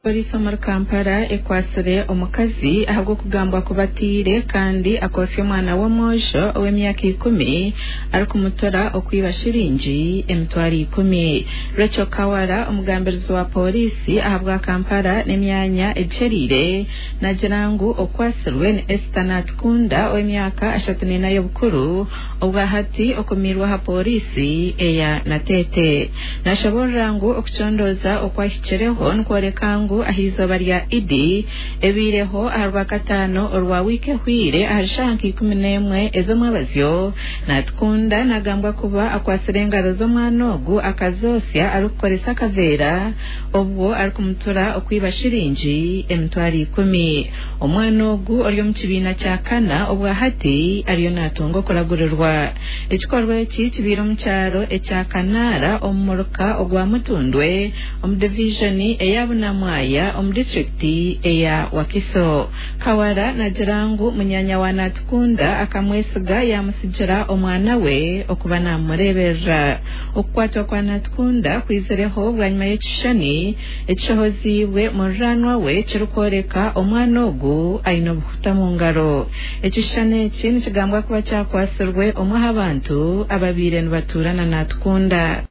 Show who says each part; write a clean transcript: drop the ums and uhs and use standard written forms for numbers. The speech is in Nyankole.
Speaker 1: Pooriisi omuri Kampala ekwatsire omukazi ahabw'okugambwa kuba atiire kandi akootsya omwana w'omwojo ow'emyaka ikumi arikumutora okwiba shiringi 100,000. Rachel Kawala omugambirizi wa pooriisi ahabwa Kampala n'emyanya egiheriire nagira ngu okwatsirwe ni Esther Natukunda ow'emyaka 34 y'obukuru obwahati okumiirwe aha pooriisi eya Nateete. Nashoborora ngu okucondooza okwahikireho nikworeka ngu aha izooba rya Idi ebaireho aha rwakataano orwa wiiki ehweire ahari shaaha nka 11 ez'omwabazyo, Natukunda nagambwa kuba akwatsire engaro z'omwana ogu akazoosya arikukoresa akaveera obwo arikumutura okwiba shiringi 100,000. Omwana ogu ori omu kibiina kya kana obwahati ariyo natunga okuragurirwa. Ekikorwa eki kibaire omu kyaro ekya Kanaara omu muruka ogwa Mutundwe omu divijoni eya Bunamwaya omu disiturikiti eya Wakiso. Kawala nagira ngu munyanya wa Natukunda akamwesiga yamusigira omwana we okuba namureeberera. Okukwatwa kwa Natukunda kwizireho bwanyima y'ekishushani ekishohoziibwe muriraanwa we kirikworeka omwana ogu aine obuhuta omu ngaro. Ekishushani eki nikigambwa kuba kyakwatsirwe omwe aha bantu ababaire nibatuura na Natukunda.